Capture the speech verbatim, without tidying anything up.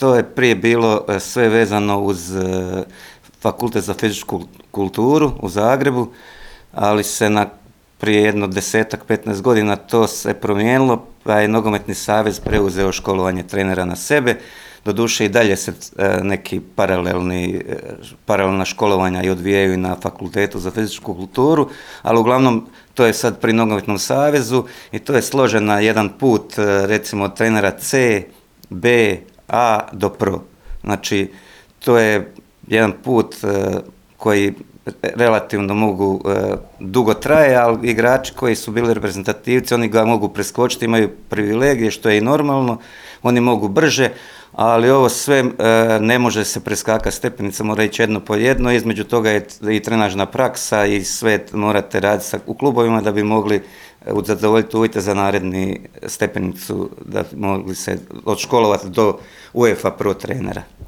to je prije bilo e, sve vezano uz e, Fakultet za fizičku kulturu u Zagrebu, ali se na prije jedno desetak, petnaest godina to se promijenilo, pa je Nogometni savez preuzeo školovanje trenera na sebe. Doduše i dalje se e, neki paralelni, e, paralelna školovanja i odvijaju na Fakultetu za fizičku kulturu, ali uglavnom to je sad pri Nogometnom savezu i to je složen na jedan put, e, recimo od trenera C, B, A do Pro. Znači, to je jedan put e, koji relativno mogu, e, dugo traje, ali igrači koji su bili reprezentativci, oni ga mogu preskočiti, imaju privilegije, što je i normalno, oni mogu brže, ali ovo sve e, ne može se preskakati stepenica, mora ići jedno po jedno, između toga je i trenažna praksa i sve morate raditi sa, u klubovima da bi mogli zadovoljiti uvjete za naredni stepenicu, da bi mogli se odškolovati do UEFA Pro trenera.